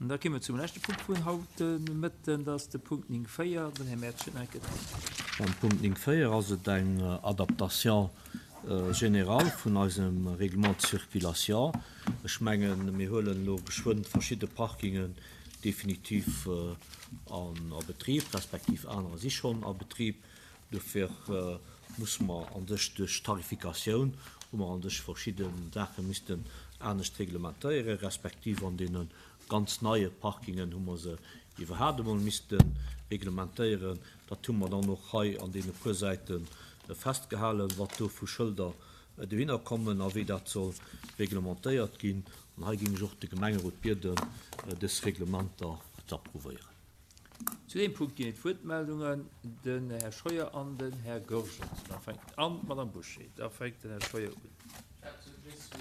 An da komme mer zum leschte Punkt vun haut de Mëtten, dat ass de Punkt 9, 4. Den Här Mertsch huet nach eng Kéier d'Wuert. Beim Punkt 9, 4 ass et eng Adaptation générale vun eisem Règlement de circulation. Ech mengen, mir huelen elo geschwënn verschidde Parkingen definitiv a Betrib, respektiv anerer si schonn a Betrib. Dofir musse mer an sech duerch d'Tarifikatioun, hu mer an sech verschidde Saache missten anescht reglementéieren, respektiv an deene ganz neie Parkingen hu mer se iwwerhaapt emol misste reglementéieren. Dat hu mer dann och hei an deene puer Säite festgehalen, wat do vu Schëlder dohinner kommen a wéi dat soll reglementéiert ginn. An hei géing ech och de Gemengerot bieden, dës Reglementer ze approuvéieren. Zu deem Punkt ginn et Wuertmeldungen, den Här Scheuer an den Här Goergens. Da fänkt an d'Madame Bouché. Da fänkt den Här Scheuer un. Ech hat just zu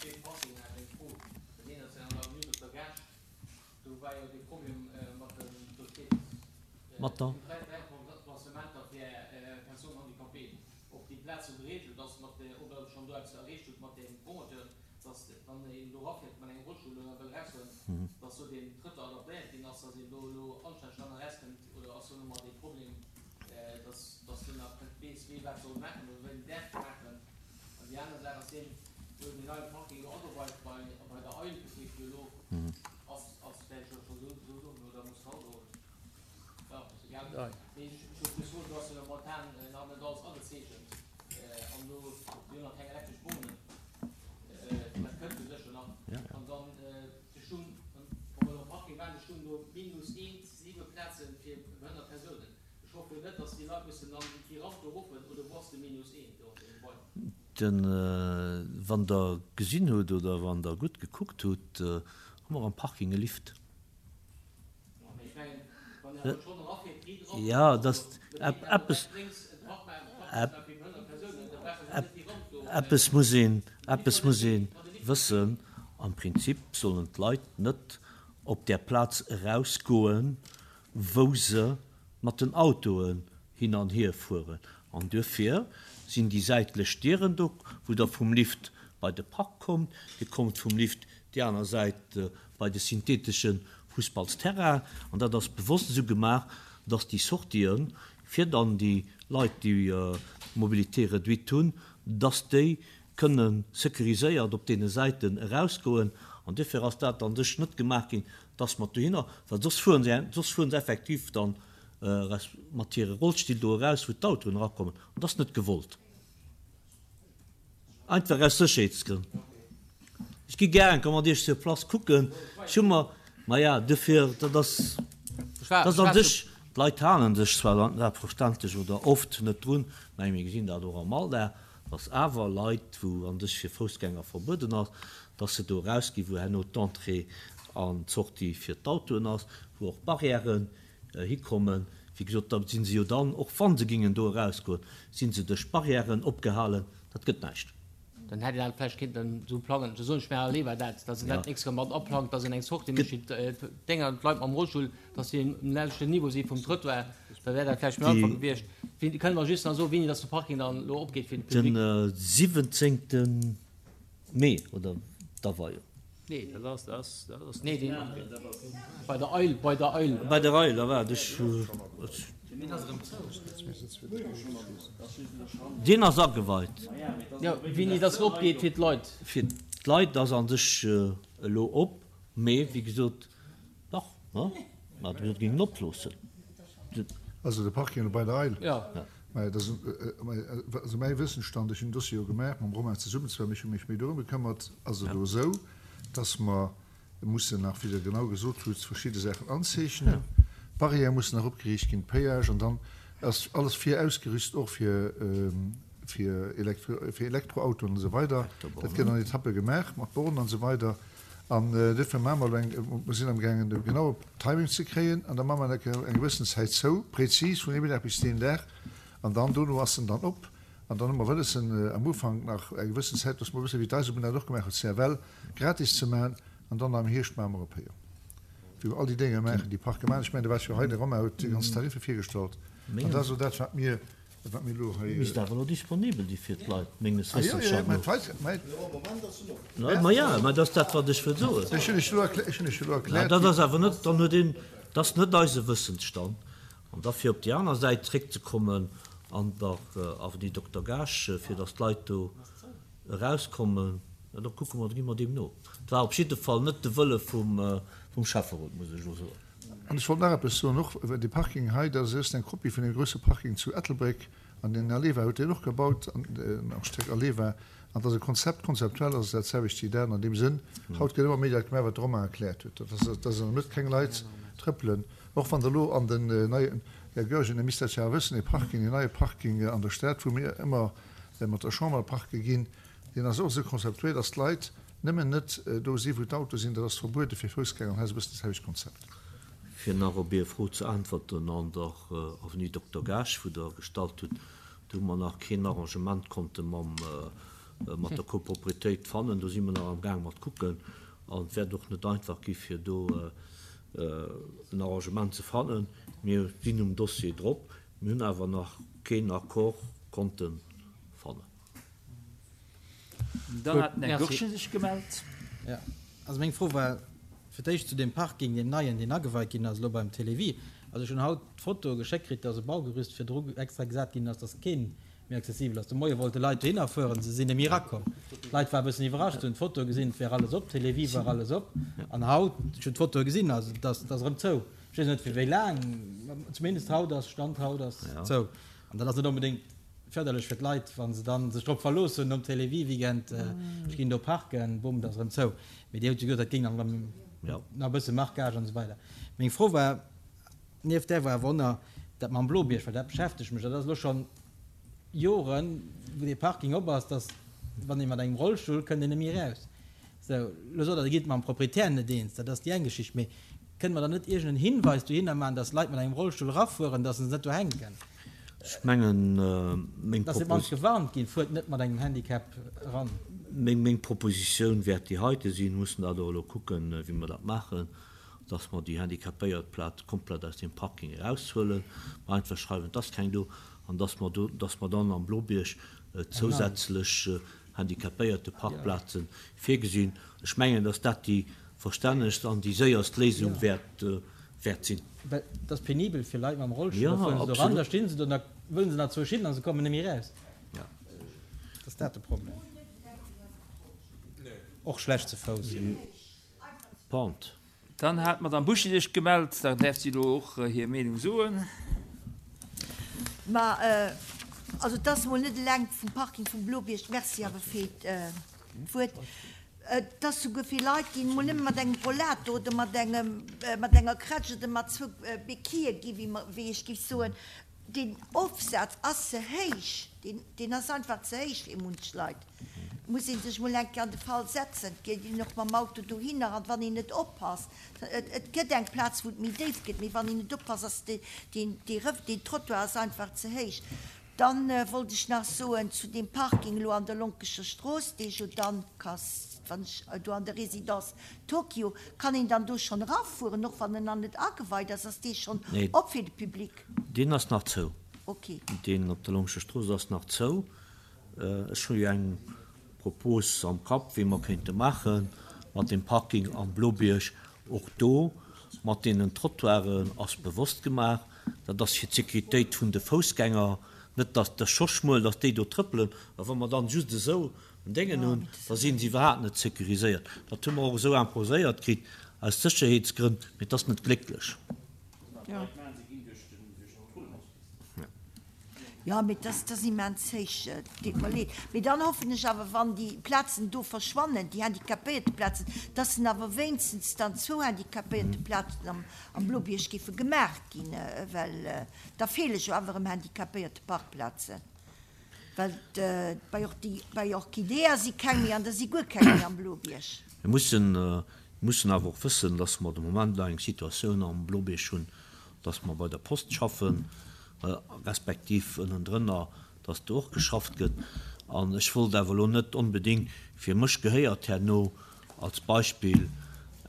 deem Parking nach eng Fro. Dat eent ass jo an der Avenue Dokter Gaasch. Do war jo dee Problem mat den, do steet, Mat der? 3 Emplacementer fir Personnes handicapées. Ob déi Plaz sou geregelt ass mat, ob Der schonn do eppes erreecht hutt mat dem Promoteur. dass wann een do erafiert mat engem Rollstull oder wëll erausgoen, dass do deen Trëttoir adaptéiert ginn ass, dass een do elo anstänneg dann erauskënnt oder ass do nach emol dee Problem, dass dass do nach net weess, wee wat soll maachen oder wéi en däerf maachen. An déi aner Saach ass deen, do deen neie Parking elo ageweit bei bei der Eil, dat heescht jo elo ass ass däerf ech jo scho sou soen oder muss haut soen, jo ass egal, mee ech wollt just soen, do ass jo momentan nach net alles agezeechent an do si jo nach keng elektresch Bornen. Dat kënnt jo sécher nach. An dann, se stungen, wa mer elo am Parking waren, se stungen do minus eent, siwe Plaze fir behënnert Persounen. Ech hoffe jo net, datt déi Leit mussen dann déi Ramp do erofen, oder wou ass de minus eent do an deem Gebai? Den, wann Der gesinn hutt oder wann Der gutt gekuckt hutt, hu mer am Parking e Lift. Jo, dass eppes, eppes muss een, eppes muss ee wëssen, Am Prinzip sollen d'Leit net op där Plaz erausgoen, wou se mat den Autoen hin an hier fueren. An duerfir sinn déi säitlech Dieren do, wou Der vum Lift bei de Park kommt. Dir kommt vum Lift déi aner Säit bei de synthetesche Fussballsterrain. An dat ass bewosst esou gemaach, dass déi Sortien, fir dann déi Leit, déi Mobilité réduite hunn, dass déi kënne sécuriséiert op deene Säiten erausgoen. An duerfir ass dat an sech net gemaach ginn, dass mer dohinner, well soss fueren se, soss fueren se effektiv dann mat hire Rollstill do eraus, wou d'Autoen erakommen. An dat ass net gewollt. Einfach aus Sécherheetsgrënn. Ech gi gär enker mat Iech sur place kucken. Ech hu mer, maja, duerfir, dat ass, dat ass an sech, d'Leit halen sech zwar selbstverständlech oder oft net drun, mä mir gesinn dat och am Alldag, dass awer Leit, wou an sech fir Foussgänger verbueden ass, dass se do erausginn, wou herno d'Entrée an d'Sortie fir d'Autoen ass, wou och Barrièren hikommen. Wéi gesot, da si se jo dann, och wa se gingen do erausgoen, si se duerch Barrièren opgehalen. Dat gëtt näischt. Dann hätt een dat vläicht kéinten esou plangen, esou soen ech mir allewer dat, dass een dat nächst Kéier mat aplangt, dass een eng Sortie mécht fir d'Dénger, d'Leit mam Rollstull, dass déi um selwechten Niveau si vum Trëttoir. Da wär dat vläicht méi einfach gewiescht. Wéi, kënne mer just nach soen, wéini dass de Parking dann elo opgeet fir de Public? Den 17. Mee, oder d'Aweiung? Nee, dat ass, dat ass, dat ass. Nee, deen, bei der Eil, bei der Eil. Bei der Eil, da waart, ech, deen ass ageweit. Jo, wéini dass en opgeet fir d'Leit? Fir d'Leit ass a sech elo op, mee wéi gesot, dach, ne, mä mir géingen oploossen. Also de Parking elo bei der Eil? Jo. Mä et ass, also mäi Wëssensstand, ech hunn den Dossier jo gemaach mam Romain zesummen, zwar ech hu mech méi dorëm gekëmmert, ass et elo esou, dass mer mussen nach, wéi Der genau gesot hutt, verschidde Saachen anzeechnen, d'Barrièrë mussen nach opgeriicht ginn, d'Péage, an dann ass alles virausgerüst och fir, fir Elektro, fir Elektroautoen an esou weider. Dat gëtt an Etappe gemaach mat Bornen an esou weider. An duerfir maache mer elo eng, mer sinn amgaangen de genaue Timing ze kréien an da maache mer eng eng gewëssen Zäit zou, prezis vun deem Dag bis deen Dag an dann dono ass en dann op. An dann hu mer wëlles en am Ufank nach eng gewëssen Zäit, dass mer e bësse wéi d'Eisebunn dat och gemaach huet, CFL gratis ze maachen an dann am Hierscht maache mer op Héier, wéi mer all déi Dénger maachen, déi Parke maachen. Ech mengen, do war jo hei de Romain huet déi ganz Tariffe virgestallt an dat ass elo dat wat mir. Wat mir elo hei. Misst awer elo disponibel gi fir d'Leit, menges Wëssens ah, no. Ma ja, mä dat ass dat, wat ech wëll soen. Ech hunn lech elo erkläert. Ech hunn lech elo erkläert. Dat ass awer net, dann huet een, dat ass net eise Wëssensstand. An da fir op déi aner Säit zréckzekommen, an der Avenue Dokter Gaasch, fir datt d'Leit do erauskommen, da kucke mer, da gi mer deem no. Et war op jidde Fall net de Wëlle vum Schäfferot, muss ech elo soen. An ech wollt nach eppes soen, och dee Parking hei, dat ass just eng Kopie vun deem grouse Parking zu Ettelbréck. An den Aleva huet deen och gebaut, den Architekt Aleva. An dat ass e Konzept, konzeptuell ass et dat selwecht wéi dat an deem Sënn. Haut gëtt ëmmer méi dat gemaach, wat de Romain erkläert huet, dat ass, dass an der Mëtt keng Leit trëppelen. Och wann Der elo an den neien, Här Goergen, Der misst dat jo awer wëssen, dee Parking, deen neie Parking an der Stad, wou mir ëmmer mat der Chamber parke ginn, deen ass och esou konzeptuéiert, dass d'Leit Nëmmen net do si wou d'Autoe sinn, dat ass verbuede fir Foussgänger an hei ass e bëssen dat selwecht Konzept. Fir nach op Är Fro ze äntwerten, an der Avenue Dokter Gaasch, wou Der gestallt hutt, do hu mer nach keen Arrangement konnte mam, mat der Copropriétéit fannen. Do si mer nach amgaang mat kucken an et wäert och net einfach gi fir do en Arrangement ze fannen. Mir sinn um Dossier drop, mir hunn awer nach keen Accord konnte fannen. Dann hat den Här Goergen sech gemellt. Jo, also meng Fro war fir d'éischt zu deem Parking, deem neien, deen ageweit ginn ass elo beim Télévie. Also ech hunn haut d'Foto geschéckt kritt, dass e Baugerüst virdru extra gesat ginn ass, dass keen méi accessibel ass. De Moie wollte Leit dohinner fueren, se sinn net méi erakomm. D'Leit ware e bëssen iwwerrascht, se hunn d'Foto gesinn, et wär alles op, Télévie war alles op. An haut, ech hunn d'Fotoe gesinn, also et ass, et ass erëm zou. Ech weess net fir wéi laang, zumindest haut ass, Stand haut ass zou. An dat ass net onbedéngt Förderlech fir d'Leit, wa se dann sech drop verlooss hunn nom Télévie-Weekend, ech ginn do parken, bumm, da ass erëm zou. Mee Dir hutt jo gesot, dat géing dann erëm nach e bësse Marquage an esou weider. Meng Fro war, nieft där war awer och nach dat mam Blobierg, well dat beschäftegt mech, dat ass elo schonn Joren, wou dee Parking op ass, dass wann ee mat engem Rollstull kënnt een net méi eraus. Sou, elo sot Der, Dir gitt mam Proprietär net eens, dat ass déi eng Geschicht. Mee kënne mer dann net iergend en Hinweis dohinner maachen, dass Leit mat engem Rollstull erafueren, dass se net do hänken? Ech mengen, meng Dass se op d'mannst gewarnt ginn, Fuert net mat engem Handicap eran. Meng Propositioun wäert déi heite sinn, mir mussen dat och elo kucken, wéi mer dat maachen, dass mer déi Handicapéiertplaz komplett aus deem Parking eraushuelen, mer einfach schreiwen, et ass keng do, an dass mer do, dass mer dann am Blobierg zousätzlech Handicapéierteparkplaze virgesinn. Ech mengen, dass dat déi verstännegst an déi séierst Léisung wäert sinn. Well et ass penibel fir Leit mam Rollstull, da fuere se do eran, da sti se do, da wëllen se nach zwou hin a se kommen net méi eraus. Dat ass dat de Problem. Och schlecht ze Fouss. Pente. Dann hat d'Madame Buchy sech gemellt, da däerf si elo och hir Meenung soen. Ma also et ass emol net eleng vum Parking vum Blobierg, merci awer fir d'Wuert, et ass souguer fir Leit, déi emol nëmme mat engem Rollator oder mat engem, mat enger Krätsch oder mat zwou Béquillë gi wéi mer, wéi ech géif soen, deen Ofsaz ass ze héich, deen, deen ass einfach ze héich fir munch Leit. Muss ee sech mol eng Kéier an de Fall setzen. Et geet een och mam Auto dohinner an wann een net oppasst, et gëtt eng Plaz wou et méi déif gëtt, mee wann een net oppasst ass deen deen Trottoir ass einfach ze héich. Dann wollt ech nach soen zu deem Parking elo an der Lonkecher Strooss, dee jo dann kas, wann ech do an der Résidence Tokio, kann een dann do schonn erafueren, och wann en nach net ageweit ass? Ass dee schonn op fir de Public? Deen ass nach zou. Ok. Deen op der Lonkecher Strooss ass nach zou. Ech hu jo eng Propos am Kapp, wéi mer kéinte maache mat deem Parking am Blobierg. Och do mat deenen Trottoiren ass bewosst gemaach, dat ass fir d'Sécuritéit vun de Foussgänger, net datt, dat ass scho schmuel, datt déi do trëppelen, a wa mer dann just esou en Déngen hunn, da si se iwwerhaapt net sécuriséiert. Dat hu mer och esou imposéiert kritt aus Sécherheetsgrënn, mee et ass net glécklech. Jo, mee dat ass immens héich, et deet mer leed. Mee dann hoffen ech awer, wann déi Plazen do verschwannen, déi Handicapéierteplazen, dass en awer wéinstens dann zwou Handicapéierteplazen am, am Blobierg géife gemaach ginn, well da feele jo awer erëm Handicapéierteparkplazen. Well bei, bei Orchidea si keng méi an da si guer keng méi am Blobierg. Mir mussen, mussen awer och wëssen, dass mer de Moment nach eng Situatioun am Blobierg hunn, dass mer bei der Post schaffen, respektiv ënnendrënner, dass do och geschafft gëtt. An ech wollt awer elo net onbedéngt, fir mech gehéiert herno als Beispill.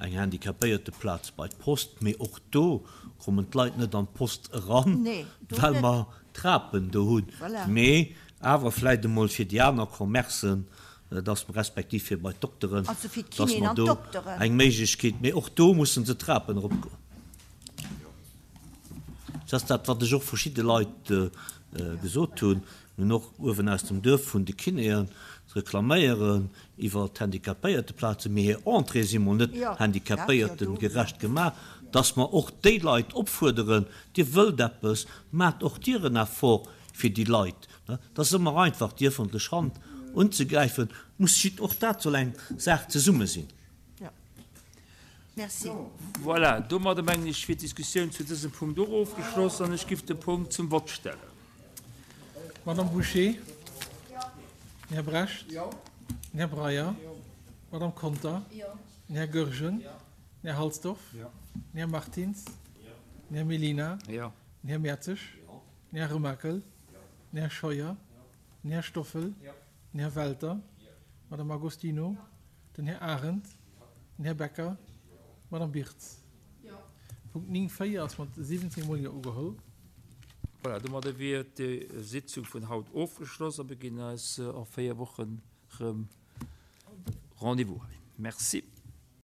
Eng Handicapéierteplaz bei d'Post, mee och do kommen d'Leit net an d'Post eran, well mer Trapen do hunn. Mee awer vläicht emol fir déi aner Commercen, dass mer, respektiv fir bei d'Dokteren, dass mer do eng Méiglechkeet, mee och do musse se d'Trapen eropgoen. Dat ass dat, wat ech och verschidde Leit gesot hunn. Mir hunn och uewen aus dem Duerf vun de Kinéen reklaméieren iwwer d'Handicapéierteplazen, mee hir Entrée si mol net handicapéiertengerecht gemaach, dass mer och déi Leit opfuerderen, Dir wëllt eppes, maacht och Dir en Effort fir déi Leit. Et ass ëmmer einfach, déi ëffentlech Hand unzegräifen, muss jidd, och dat soll eng Saach zesumme sinn. Merci. Voilà, domadder mengen ech wier d'Diskussioun zu dësem Punkt och ofgeschloss an ech giff de Punkt zum Vott stellen. Madame Bouché? Den Här Brecht? Den Här Breyer? D'Madame Conter? Den Här Goergen? Den Här Halsdorf? Den Här Martins? Den Här Mellina? Den Här Mertzig? Den Här Remakel? Den Här Scheuer? Den Här Stoffel? Den Här Welter? D'Madame Agostino? Den Här Arendt? Den Här Becker? D'Madame Birtz? Punkt 9, 4 ass mat 17 Mol Jo ugeholl. Voilà, domadder wier déi Sitzung vun haut ofgeschloss a mir ginn eis a 4 Wochen erëm Rendez-vous hei. Merci.